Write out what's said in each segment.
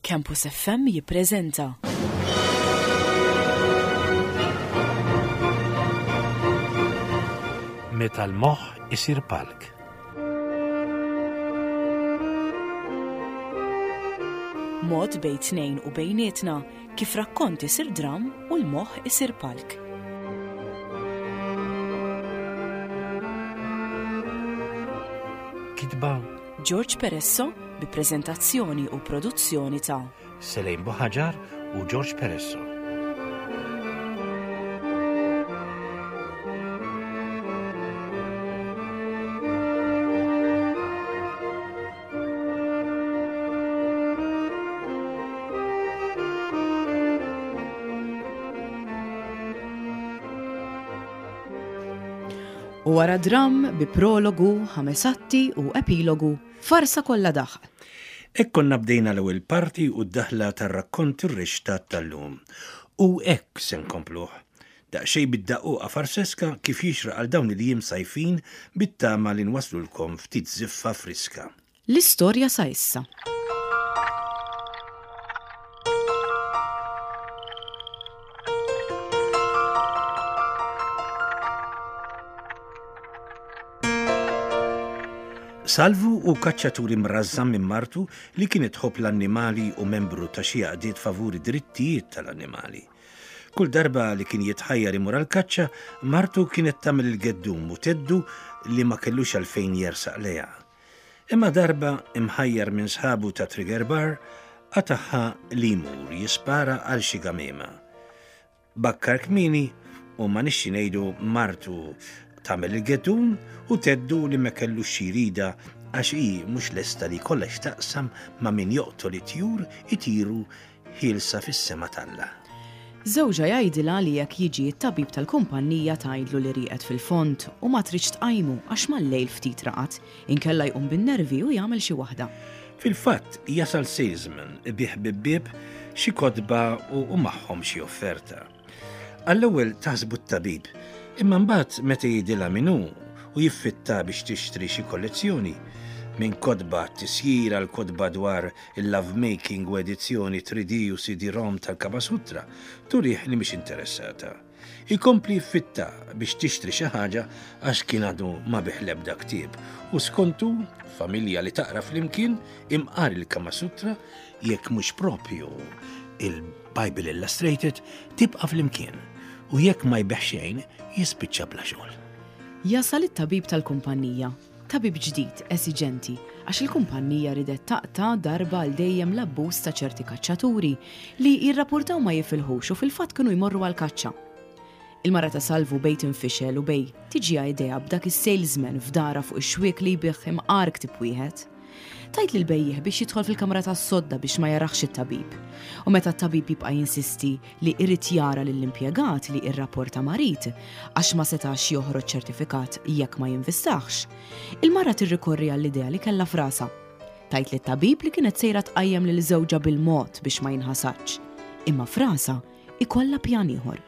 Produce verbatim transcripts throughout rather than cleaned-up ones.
Campus F M jippreżenta Meta l-moħħ isir palk. Mod bejn tnejn u bejnietna kif rakkont isir dram u l-moħħ isir palk. Kitba George Peresso bi preżentazzjoni u produzzjoni ta' Selejn Buħaġar u George Peresso. U wara dram bi prologu, ħames atti u epilogu, farsa kollha daħq. Hekk konna bdejna l-ewwel parti u d-daħla tar-rakkont ir-rixta tal-lum. U hekk se nkompluh. Daqsxejn bid-daqquqa farseska kif jixraq għal dawn il-jiem sajfin, bit-tama li nwaslulkom ftit ziffa friska. L-istorja sa issa. Salvu hu kaċċatur imrażżan minn martu li kienet tħobb l-annimali u membru ta' xi għaqdiet favuri drittijiet tal-annimali. Kull darba li kien jitħajjar imur għal-kaċċa, martu kienet tagħmel il-geddum u theddu li ma kellux għalfejn jersaq lejha. Imma darba, imħajjar minn sħabu ta' Trigger Bar, qatagħha li jmur jispara għal xi gamiema. Bakkar kmieni u ma nixxi ngħidu martu tagħmel il-geddum u theddu li ma kellux xi jridha għax hi mhux lesta li kollha x'taqsam ma' min joqtol it-tjur itiru ħielsa fis-sema t'Alla. Żewġha jgħidilha li jekk jiġi t-tabib tal-kumpanija tgħidlu li rieqed fil-fond u ma tridx tqajmu għax mal-lejl ftit raqad, inkella jqum bin-nervi u jagħmel xi waħda. Fil-fatt jasal salesman ibigħ bieb bieb xi kotba u, u magħhom xi offerta. Għall-ewwel taħsbu t-tabib, imma mbagħad meta jgħidilha min hu u jiffitta biex tixtri xi kollezzjoni, minn kotba tisjir għal kotba dwar il-love making u edizzjoni three D u C D-ROM tal-Kama Sutra, turih li mhix interessata. Ikompli jiffitta biex tixtri xi ħaġa għax kien għadu ma biegħ l-ebda ktieb u skontu familja li taqra flimkien, imqar il-Kama Sutra, jekk mhux propju il-Bible Illustrated, tibqa' flimkien u jekk ma jbigħ xejn jispiċċa bla xogħol. Jasal it-tabib tal-kumpanija, tabib ġdid, esiġenti, għax il-kumpanija ridet taqta' darba għal dejjem l-abbuż ta' ċerti kaċċaturi li jirrapportaw ma jifilħux u fil-fatt kienu jmorru għal kaċċa. Il-mara ta' Salvu bejn tinfixel u bejn tiġiha idea b'dak is-salesman f'darha fuq ix-xwiek li jbigħ imqar ktib wieħed. Tgħid lil bejjiegħ biex jidħol fil-kamra tas-sodda biex ma jaraħx it-tabib. U meta t-tabib jibqa' jinsisti li irid jara lill-impjegat li irrapporta marid għax ma setax joħroġ ċertifikat jekk ma jinvistaħx, il-mara tirrikorri għall-idea li kellha f'rasha. Tgħid lit-tabib li kienet sejra tqajjem lil żewġha bil-mod biex ma jinħasadx. Imma f'rasha ikollha pjan ieħor.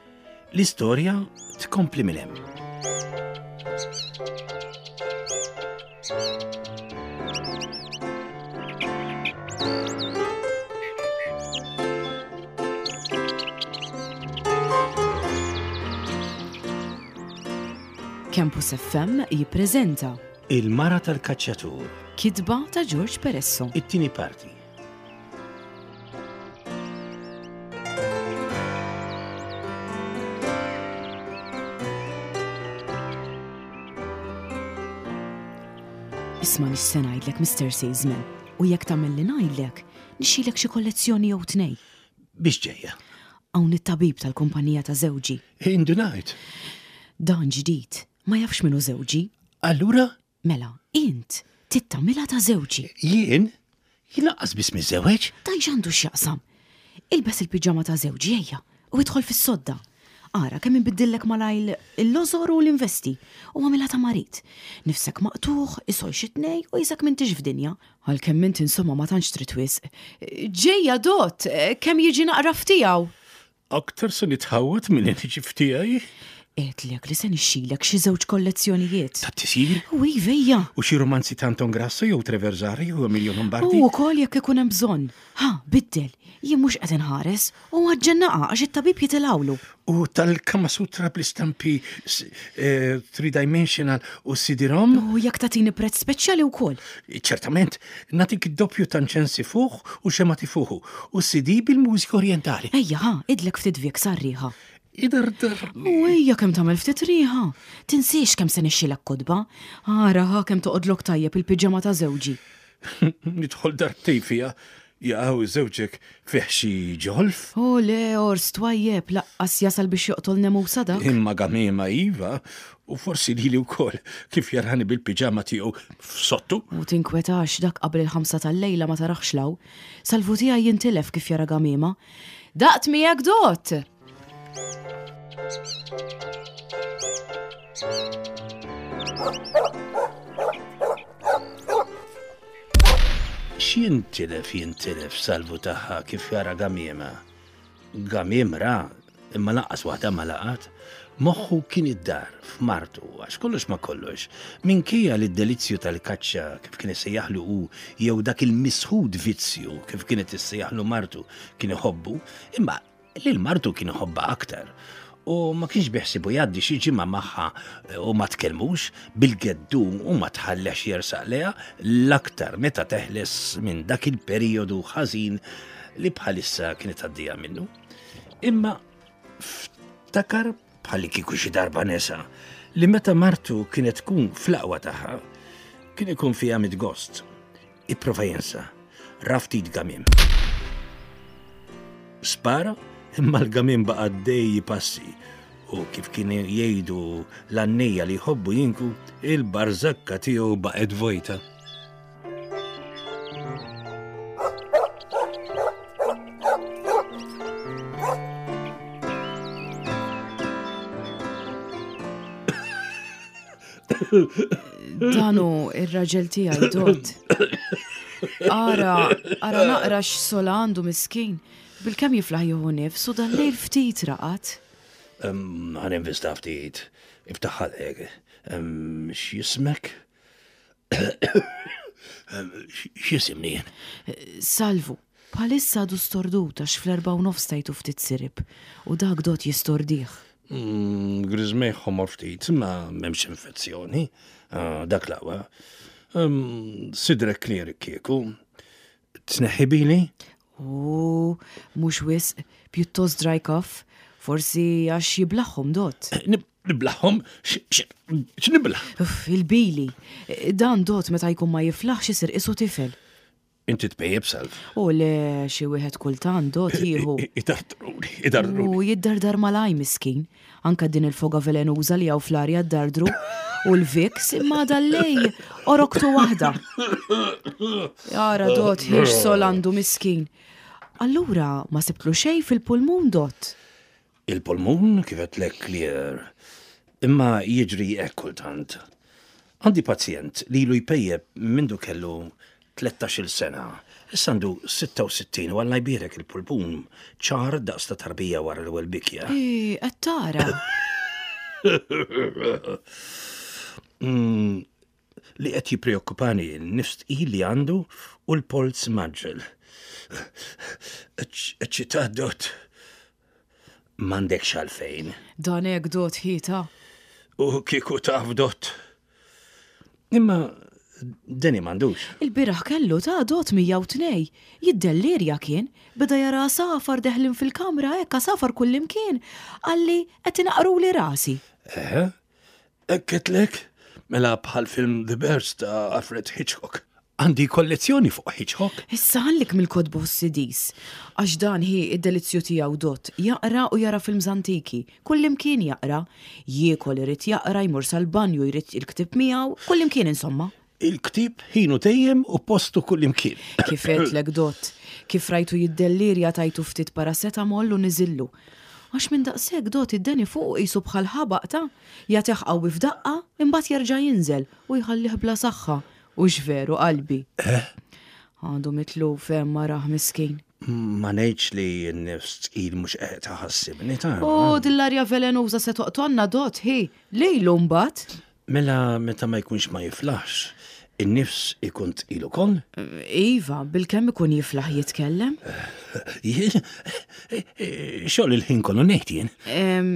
L-istorja tkompli minn hemm. Campus F M jippreżenta Il-mara tal-kaċċatur, kitba ta' George Peresso. It-tieni parti. Isma' nix se ngħidlek, Mister Salesman, u jekk tagħmel li ngħidlek, nixtrilek xi kollezzjoni jew tnej. Biex ġejja? Hawn it-tabib tal-kumpanija ta' żewġi. Indunajt. Dan ġdid, ma jafx min hu żewġi. Allura? Mela, int tittamilha ta' żewġi. Jien? Jien lanqas biss miżżewweġ? Dan x'għandu x'jaqsam? Ilbes il-piġama ta' żewġi, ejja, u idħol fis-sodda. Ara kemm inbiddillek malajr il-lożor u l-investi u agħmilha ta' marid. Nifsek maqtugħ, isol xi tnej u qisek m'intix f'dinja. Għalkemm int insomma ma tantx trid wisq. Ġejja dott, kemm jiġi naqra ftiegħu. Aktar se nitħawwad minn niġi ftiegħi? Għedtlek li se nixxilek xi żewġ kollezzjonijiet. Ta' tisir? U ivejja. U xi romanzi ta' Anton Grasso jew Treverzari u Emilio Lombardi? U wkoll jekk ikun hemm bżonn. Ha, biddel, jien mhux qed inħares u għaġġennaqa għax it-tabib jitilgħulu. U tal-Kama Sutra bl-istampi eh, three-dimensional u C D-ROM? U jekk tagħtini prezz speċjali wkoll. Ċertament, nagħtik id-doppju ta' inċensi fuq u xemgħat ifuħu u C D bil-mużika orientali. Ejja, ha, idlek ftit Vicks għar-riħa. Idardar. U ejja kemm tagħmel ftit riħa. Tinsiex kemm se nixxilek kotba. Ara ħa kemm toqgħodlok tajjeb il-piġama ta' żewġi. Nidħol darbtejn fiha. Jaqaw żewġek fih xi ġolf? O le, ors twajjeb, lanqas jasal biex joqtol nemusa dak. Imma gamiema iva, u forsi lili wkoll kif jarani bil-piġama tiegħu f'sottu. U tinkwetax, dak qabel il-ħamsa tal-lejla ma taraħx law. Salvu tiegħi jintilef kif jara gamiema. Daqt miegħek, Dot! X'jintilef jintilef Salvu tagħha kif jara gamiema? Gamiem ra, imma lanqas waħda ma laqat. Moħħu kien id-dar f'martu, għax kollox ma kollox. Minkejja li d-delizzju tal-kaċċa kif kien issejjaħlu hu jew dak il-misħud vizzju kif kienet issejjaħlu martu kien iħobbu, imma lil martu kien iħobbha aktar. U ma kienx biħsibu jgħaddi xi ġimgħa magħha u ma tkellmux bil-geddum u ma tħallex jersaq lejha, l-aktar meta teħles minn dak il-perjodu ħażin li bħalissa kienet għaddija minnu. Imma ftakar bħalli kieku xi darba nesa li meta martu kienet tkun fl-aqwa tagħha kien ikun fiha mit-gost. Ipprova jinsa, ra ftit gamiem. Spara, imma l-gamiem baqa' għaddej passi u kif kien jgħidu l-għannejja li jħobbu jinku, il-barzakka tiegħu baqgħet vojta. Dan hu ir-raġel tiegħi, Dot. Ara, ara naqra x'sola għandu miskin. Bil-kemm jiflaħ jieħu nifs u dal-lejl ftit raqad. Ħa ninvista ftit, iftaħ ħalqek. X'jismek? X'jisimni jien? Salvu, bħalissa għadu stordut għax fl-erba u nofs tajtu ftit sirip u dak, Dot, jistordih. Mm, Griżmejh ħomor ftit, ma m'hemmx infezzjoni. Ah, dak l-aqwa. Sidrek clear kieku. Tneħħi bili? U mhux wisq, pjuttost dry cough, forsi għax jiblagħhom, Dot. Niblagħhom? X'nibla'? Uff, il-bili. Dan, Dot, meta jkun ma jiflaħx isir qisu tifel. Inti tpejjep, Salv? U le, xi wieħed kultant, Dot, jieħu. Idardruni, idardruni. U jiddardar malaj miskin. Anka din il-foga velenuża li hawn fl-arja ddardru. U l-Vicks, imma dal-lejl oroktu waħda. Jara, Dot, ħiex sol għandu miskin. Allura ma sibtlu xejn fil-pulmun, Dot? Il-pulmun kif għedtlek clear. Imma jiġri hekk kultant. Għandi pazjent li ilu jpejjep mindu kellu tlettax-il sena. Issa għandu sitta u sittin u Alla jbierek il-pulmun ċar daqs ta' tarbija wara l-ewwel bikja. Ej, qed tara. Mm, li qed jippreokkupani n-nifs tqil li għandu u l-polz mgħaġġel. Eċċitat, Dot? M'għandekx għalfejn. Dan hekk, Dot, ħita. U kieku taf, Dot. Imma deni m'għandux. Il-bieraħ kellu ta' Dot mija u tnejn. Jiddellirja kien, beda jara għasafar deħlin fil-kamra, hekk għasafar kullimkien. Qalli qed inaqruli rasi. Eħe, għedtlek, mela bħal film The Birds ta' Alfred Hitchcock. Għandi kollezzjoni fuq Hitchcock. Issa ħallik mill-kotba u C Ds. Għax dan hi id-delizzju tiegħu, Dot, jaqra u jara films antiki. Kullimkien jaqra. Jiekol irid jaqra, jmur sal-banju jrid il-ktib miegħu, kullimkien insomma. Il-ktib ħinu dejjem u postu kullimkien. Kif għedtlek, Dot, kif rajtu jiddellirja tajtu ftit paracetamol u niżillu. Għax minn daqshekk, Dot, id-deni fuq qisu bħal ħabaq ta' jagħtih qawwi f'daqqa, imbagħad jerġa' jinżel u jħallih bla saħħa. U veru qalbi. Għandu mitluf hemm marah miskin. Ma ngħidx li n-nifs tqil mhux qed taħassibni ta' U dil-arja velenuża se toqtonna dot, hi, lejlu mbagħad. Mela meta ma jkunx ma jiflaħx, in-nifs ikun tqil ukoll? Iva, bilkemm ikun jiflaħ jitkellem. Jien xogħol il-ħin kollu ngħid jien. Em,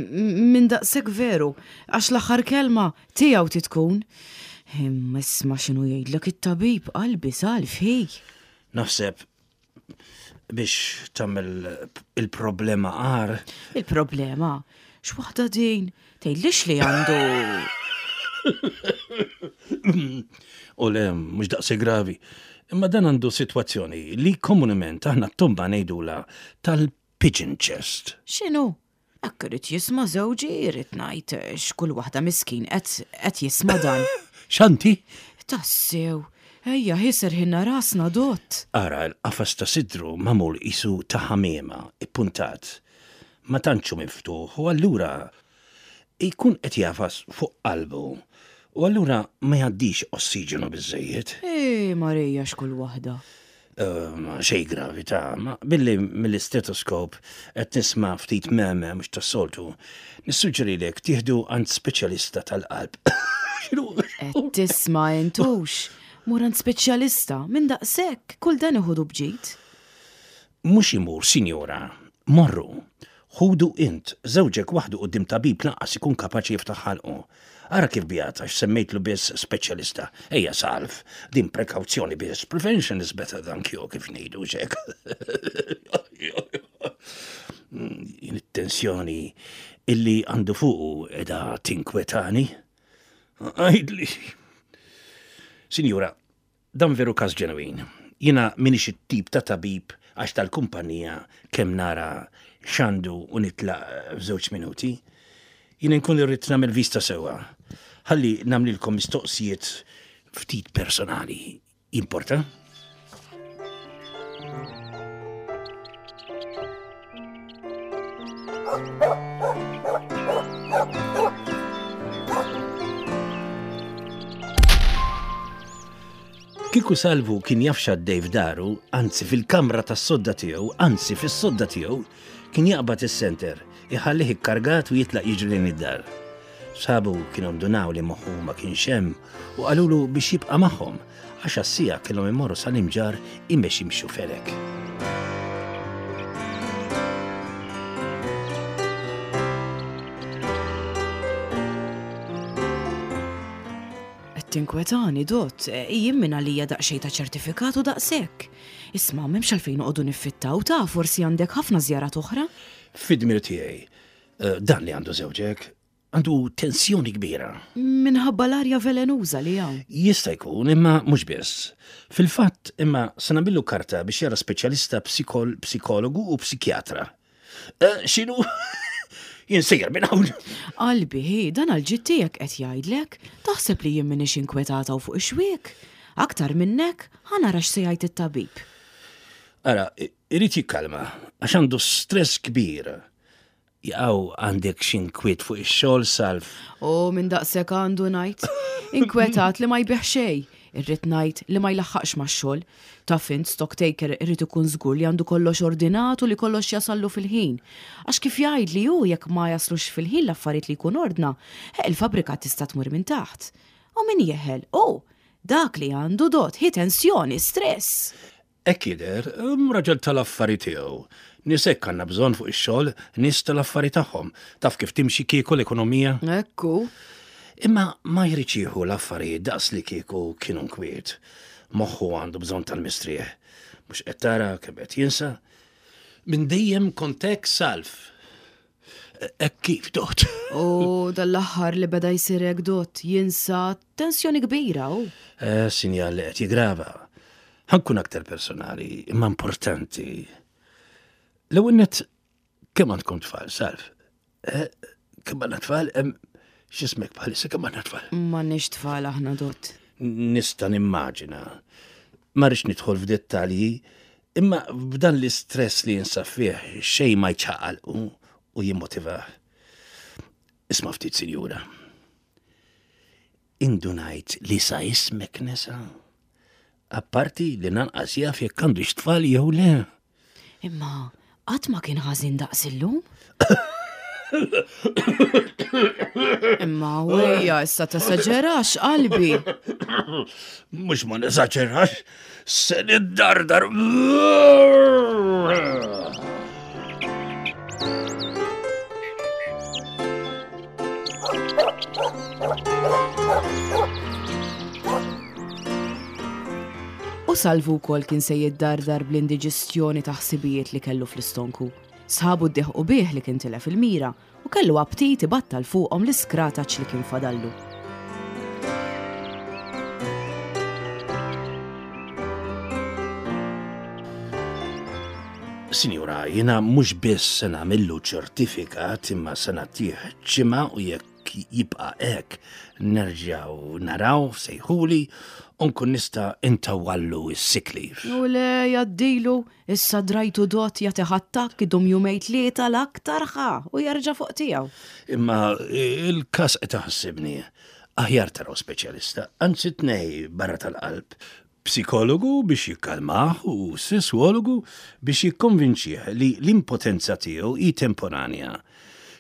Minn daqshekk veru, għax l-aħħar kelma tiegħu titkun. Imma isma' x'inhu jgħidlek it-tabib qalbi salf hi. Naħseb biex tagħmel il-problema agħar. Il-problema, x'waħda din, tgħidlix li għandu. U le, mhux daqsi gravi. Imma dan għandu sitwazzjoni li komunement aħna t-tomba ngħidula tal-pigeon chest. X'inhu? Hekk irid jisma' żewġi irid ngħid x'kull waħda miskin qed qed jisma' dan. Xanti? Tassew, ejja ħiser ħinna rasna dott. Ara l-qafas ta' sidru magħmul isu ta' ħamiema, ippuntat. Ma tantxu miftuħ u allura jkun qed jafas fuq qalbu. U allura ma jgħaddix ossiġenu biżejjed. Ej, Marija x'kull waħda. Uh, xej gravi ta' ma billi mill-istetoskop qed nisma' ftit meme mhux tas-soltu. Nissuġġerilek tieħdu għand speċjalista tal-qalb. X'inhu? Qed tisma' intux. Mur għand speċjalista minn daqshekk kull dan iħudu bġid. Mhux imur, sinjora, morru. Ħudu int, żewġek waħdu quddiem tabib lanqas ikun kapaċi jiftaħ ħalqu. Ara kif bijat għax semmejtlu biss speċjalista. Ejja salv, din prekawzjoni biss. Prevention is better than cure kif ngħidu xek. Jien it-tensjoni illi għandu fuqu edha tinkwetani. Għidli. Sinjura, dan veru każ ġenwin. Jiena minix it-tip ta' tabib għax tal-kumpanija kemm nara x'għandu u nitlaq f'żewġ minuti. Jiena nkun irrid nagħmel vista sewwa. Ħalli nagħmlilkom mistoqsijiet ftit personali. Importa? Kieku Salvu kien jaf x'għaddej f'daru, anzi fil-kamra tas-sodda tiegħu, anzi fis-sodda tiegħu, kien jaqbad is-senter, iħallih ikkargat u jitlaq jiġri lejn id-dar. Sabu kienu ndunaw li moħħu ma kienx hemm u qalulu biex jibqa' magħhom għax għas-sija kellhom imorru sal-imġar imex jimxu felek. Qed tinkwetani dott, jien minn għalija daqsxejn ta' ċertifikat u daqshekk. Isma' m'hemmx għalfejn noqogħdu niffittaw ta' forsi għandek ħafna żjarat oħra. Fid-dmir tiegħi, eh, dan li għandu żewġek, għandu tensjoni kbira. Minħabba l-arja velenuża li hawn. Jista' jkun, imma mhux biss. Fil-fatt, imma se nagħmillu karta biex jara speċjalista psikol psikologu u psikjatra. Eh, X'inhu? Jien sejjer minn hawn. Qalbi, hi, dan għal-ġid tiegħek qed jgħidlek, taħseb li jien m'iniex inkwetata u fuq ix-xwiek. Aktar minnek, ħa nara x'se jgħid it-tabib. Ara, irid jikkalma, għax għandu stress kbir. Jaqaw għandek x'inkwiet fuq ix-xogħol salv. U minn daqshekk għandu ngħid. Inkwetat li ma jbieħ xejn. Irrid ngħid li ma jlaħħaqx max-xogħol. Taf int stock taker irid ikun żgur li għandu kollox ordinat u li kollox jasallu fil-ħin. Għax kif jgħid li hu jekk ma jaslux fil-ħin l-affarijiet li jkun ordna, eh, il-fabrika tista' tmur minn taħt. U min jeħel? U dak li għandu dot, hi tensjoni, stress. Hekk jidher, um, raġel tal-affari tiegħu. Nies hekk għandna bżonn fuq ix-xogħol, nies tal-affari tagħhom. Taf kif timxi kieku l-ekonomija? Ekku. Imma ma jridx jieħu l-affarijiet daqs li kieku kienu nkwiet. Moħħu għandu bżonn tal-mistrieħ. Mhux qed tara kemm qed jinsa. Minn dejjem kont hekk salv. Hekk kif dot. U dal-aħħar li beda jsir hekk dot jinsa tensjoni kbira u. Eh, sinjal li qed jigrava. Ħa nkun aktar personali, imma importanti. L-ewwel nett kemm għandkom tfal, salv? Eh, kemm għandna tfal? Hemm x'ismek bħalissa kemm għandna tfal? M'għandniex tfal aħna dot. Nista' nimmaġina. Ma rridx nidħol f'dettalji, imma b'dan l-istress li jinsab fih xejn ma jċaqalqu u jimmotivah. Isma' ftit, sinjura. Indunajt li sa ismek nesa. Apparti li nanqas jaf jekk għandux tfal jew le. Imma qatt ma kien ħażin daqs illum. Imma wejja issa tesaġerax qalbi. Mhux ma nesaġerax, se niddardar. U Salvu wkoll kien se jiddardar bl-indiġestjoni ta' ħsibijiet li kellu fl-istonku. Sħabu ddeħqu bih li kien tilef il-mira u kellu aptit ibattal fuqhom l-iskrataċ li kien fadallu. Sinjura, jiena mhux biss se nagħmillu ċertifikat imma se nagħtih ġimgħa u jekk jibqa' hekk nerġgħu naraw sejħuli u nkun nista' intawwallu s-sick leave. U le jgħaddilu, issa drajtu dot jagħti attakk idum jumejn tlieta l-aktar ħa u jerġa' fuq tiegħu. Imma il-każ qed iħassibni. Aħjar taraw speċjalista, anzi tnej barra tal-qalb. Psikologu biex jikkalmah u sesswologu biex jikkonvinċih li l-impotenza tiegħu hi temporanja.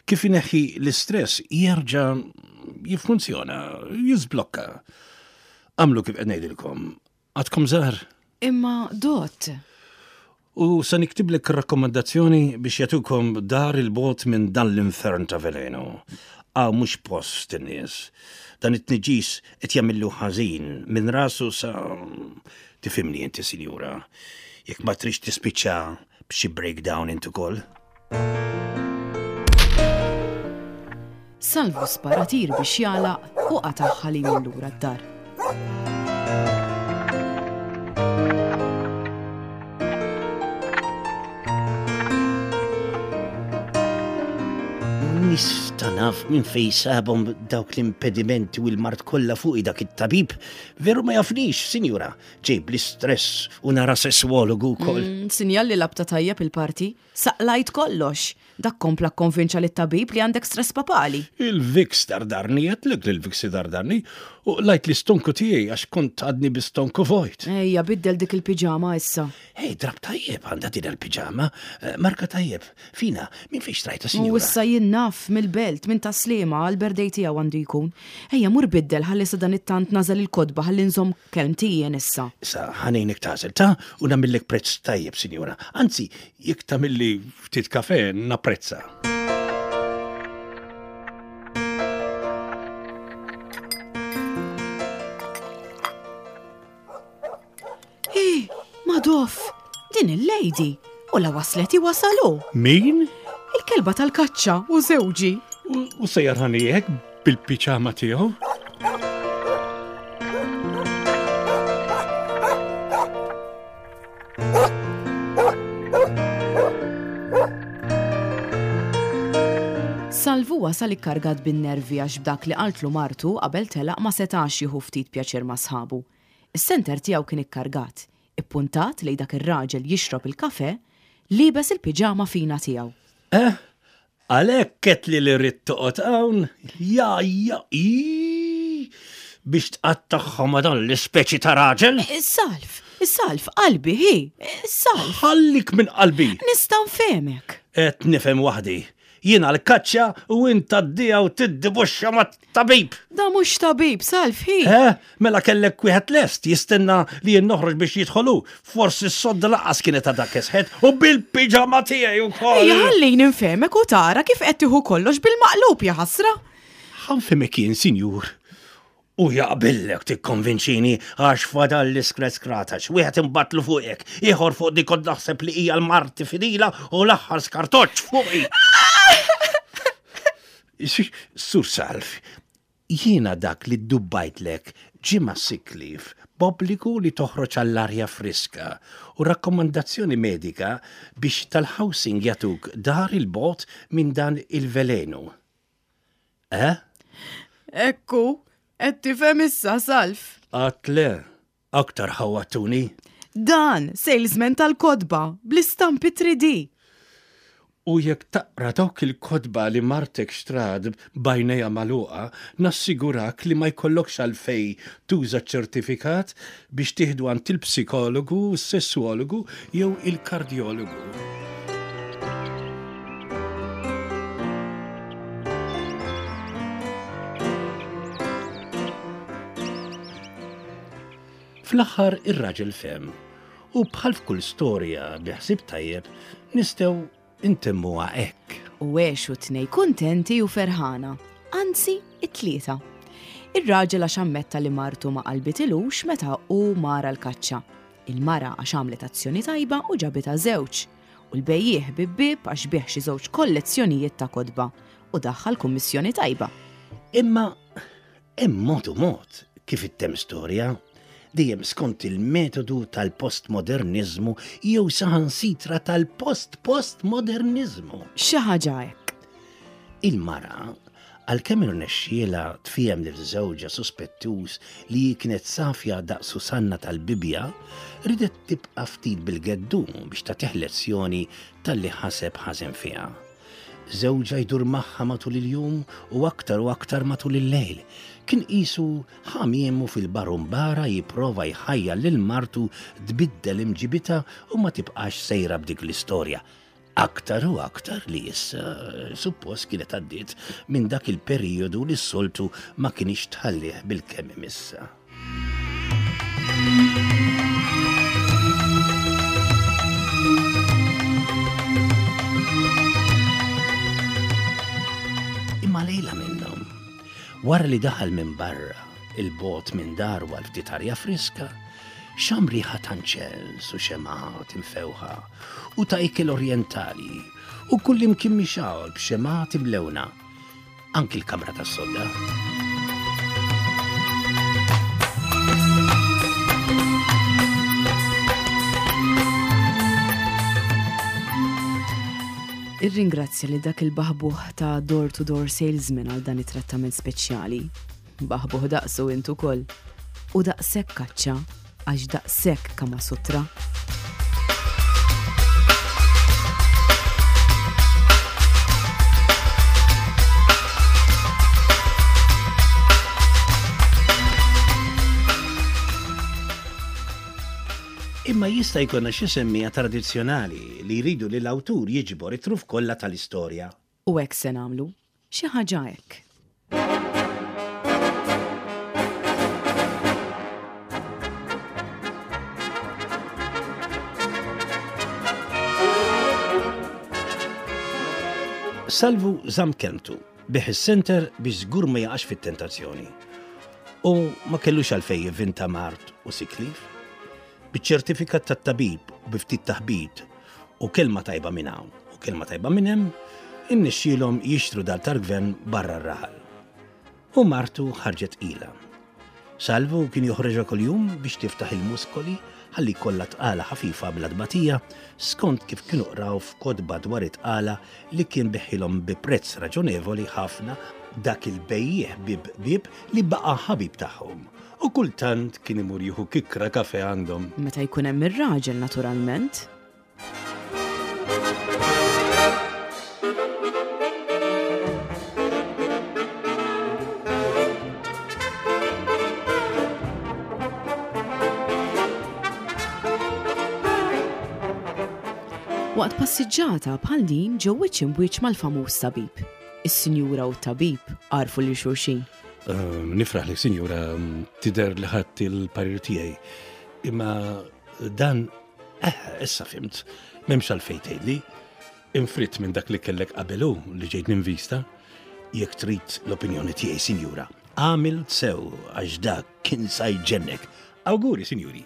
Kif ineħħi l-istress jerġa' jiffunzjona, jiżblokka. Għamlu kif qed ngħidilkom, għadkom żgħar. Imma dot. U se niktiblek rakkomandazzjoni biex jagħtukom dar il-bot minn dan l-infern ta' veleno. Għaw mhux post in-nies. Dan it-tniġis qed jagħmillu ħażin minn rasu sa tifhimni inti, sinjura. Jekk ma trix tispiċċa b'xi breakdown int ukoll. Salvu spara tir biex jagħlaq u qatagħha li jmur lura d-dar. Nista' naf minn fejn sabhom dawk l-impedimenti u l-mard kollha fuqi dak it-tabib. Veru ma jafnix, sinjura. Ġejb l-istress u nara sesswologu wkoll. Mm, sinjal li labta tajjeb il-parti. Saqlajt kollox. Dak kompla kkonvinċa lit-tabib li għandek stress papali. Il-Vicks dardarni, għedtlek li l-Vicks dardarni, u lajt l-istonku tiegħi għax kont għadni bi-stonku vojt. Ejja, biddel dik il-piġama issa. Ej, drab tajjeb għandha din il-piġama, eh, marka tajjeb. Fina, minn fejn xtrajta, U sinjura? issa jien naf mill-belt, minn Taslima, għal-birthday tiegħu għandu jkun. Ejja, mur biddel ħalli sa dan it-tant nażel il-kotba ħalli nżomm kelmti jien issa. Issa ħanejnek tażel ta' u nagħmillek prezz tajjeb, sinjura. Anzi, jekk tagħmilli ftit kafe napprezza. Ej, Madoff, din il-lady. U la waslet wasalu. Min? Il-kelba tal-kaċċa u żewġi. U, u sejjar ħanijek bil-piċama tiegħu? Salvu wasal ikkargat bin-nervi għax b'dak li qaltlu martu qabel telaq ma setax jieħu ftit pjaċir ma' sħabu. Is-senter tiegħu kien ikkargat, ippuntat lejn dak ir-raġel jixrob il-kafe, liebes il-piġama fina tiegħu. Eh, għalhekk ketli li rrid toqgħod hawn, ja ja i biex tqattagħha ma' dan l-ispeċi ta' raġel. Is-salf, is-salf, qalbi hi, is-salf. Ħallik minn qalbi. Nista' nfehmek. Qed nifhem waħdi. Jiena l-kaċċa u int tgħaddiha u tiddibuxxa mat-tabib. Da mhux tabib, salf hi. Eh, mela kellek wieħed lest jistenna li jien noħroġ biex jidħolu. Forsi s-sodda laqas kienet għadha kesħet u bil-piġama tiegħi wkoll. Ejja ħallini nfehmek u tara kif qed tieħu kollox bil-maqlub ja ħasra. Ħanfehmek jien, sinjur. U jaqbillek tikkonvinċini għax fadal l-iskret skratax, wieħed imbatlu fuqek, ieħor fuq dik kont naħseb li hija l-marti fidila u l-aħħar skartoċ fuqi. Sur Salf, jiena dak li ddubbajtlek ġimgħa sick leave b'obbligu li toħroġ għall-arja friska u rakkomandazzjoni medika biex tal-housing jagħtuk dar il-bot minn dan il-velenu. Eh? Ekku, qed tifhem issa, Salf. Għat le, aktar ħawatuni. Dan, salesman tal-kotba, bl-istampi three D. U jekk taqra dawk il-kotba li martek xtrat b'għajnejha magħluqa, nassigurak li ma jkollokx għalfejn tuża ċertifikat biex tieħdu għand il-psikologu, s-sessuologu jew il-kardjologu. Fl-aħħar ir-raġel fehem u bħal f'kull storja bi ħsieb tajjeb nistgħu intemmuha hekk. U għexu tnej kuntenti u ferħana, anzi it-tlieta. Ir-raġel għax ammetta li martu ma qalbitilux meta hu mar l-kaċċa. Il-mara għax għamlet azzjoni tajba u ġabitha żewġ. U l-bejjiegħ bieb bieb għax biegħ xi żewġ kollezzjonijiet ta' kotba u daħħal kummissjoni tajba. Imma hemm mod u mod kif ittemm storja, dejjem skont il-metodu tal-postmodernizmu jew saħansitra tal-post-postmodernizmu. Xi ħaġa hekk. Il-mara, għalkemm irnexxielha tfiehem lil żewġha suspettuż li kienet safja daqs Susanna tal-Bibja, ridet tibqa' ftit bil-geddu biex tagħtih lezzjoni talli ħaseb ħażen fiha. Żewġha jdur magħha matul il-jum u aktar u aktar matul il-lejl. Kien qisu ħamiemu fil-barumbara jipprova jħajjar lil martu tbiddel imġibitha u ma tibqax sejra b'dik l-istorja. Aktar u aktar li issa suppost kienet għaddiet minn dak il-perjodu li s-soltu ma kienx tħallih bil-kemm imissa. Imma lejla minnhom, wara li daħal minn barra il-bot minn daru għal ftit arja friska, xam riħa ta' nċens u xemgħat imfewħa u ta' ikel orjentali u kull imkien mixgħul b'xemgħat imlewna, anki l-kamra tas-sodda. Irringrazzja li dak il-baħbuħ ta' door-to-door salesman għal dan it-trattament speċjali. Baħbuħ daqsu int ukoll. U daqshekk kaċċa għax daqshekk Kama Sutra. Imma jista' jkollna xi semmija tradizzjonali li jridu li l-awtur jiġbor it-truf kollha tal-istorja. U hekk se nagħmlu, xi ħaġa hekk. Salvu żamm kelmtu biegħ is-center biex żgur ma jaqax fit-tentazzjoni. U ma kellux għalfejn jivvinta mard u sick leave. Biċ-ċertifikat tat-tabib u bi ftit taħbit u kelma tajba minn hawn u kelma tajba minn hemm, innexxielhom jixtru dar tal-gvern barra r-raħal. U martu ħarġet tqila. Salvu kien joħroġha kuljum biex tiftaħ il-muskoli ħalli kollha tqala ħafifa bla tbatija skont kif kienu qraw f'kotba dwar it-tqala li kien biegħhielhom bi prezz raġonevoli ħafna dak il-bejjiegħ bieb bieb li baqa' ħabib tagħhom. U kultant kien imur jieħu kikra kafe għandhom. Meta jkun hemm ir-raġel naturalment. Waqt passiġġata bħal din ġew wiċċ imbwiċċ mal-famuż tabib. Is-sinjura u t-tabib għarfu lil xulxin. Ehm, nifraħ li sinjura tidher li ħadt il-parir tiegħi. Imma dan, eh, issa fimt, m'hemmx għalfejn tgħidli. Infritt minn dak li kellek qabelu li ġejt ninvista. Jekk trid l-opinjoni tiegħi, sinjura, għamil sew għax dak kien sa jġennek. Awguri, sinjuri.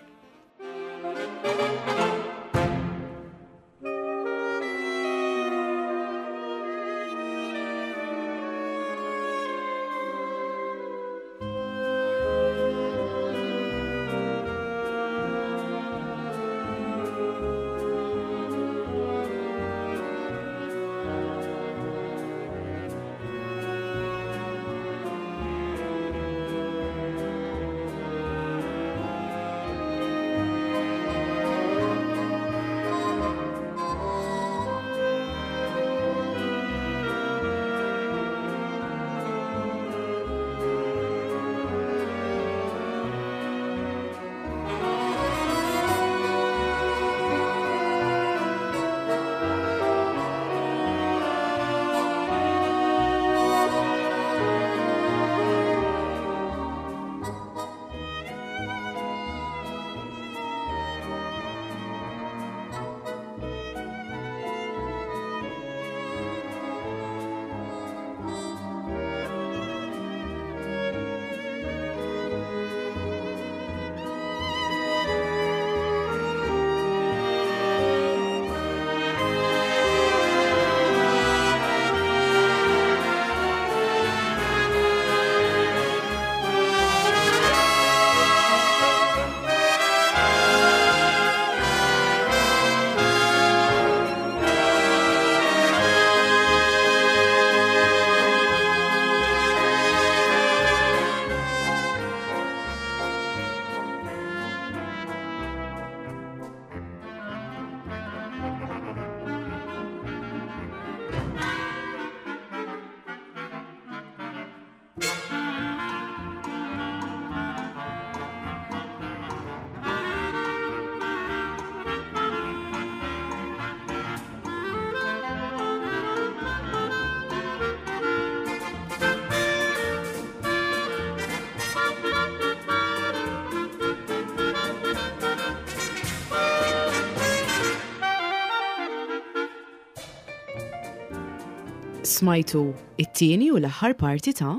Smajtu it-tieni u l-aħħar parti ta'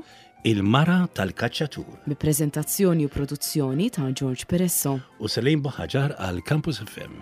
Il-Mara tal-Kaċċatur. Bi preżentazzjoni u produzzjoni ta' George Peresso u Celine Buhagiar għal Campus F M.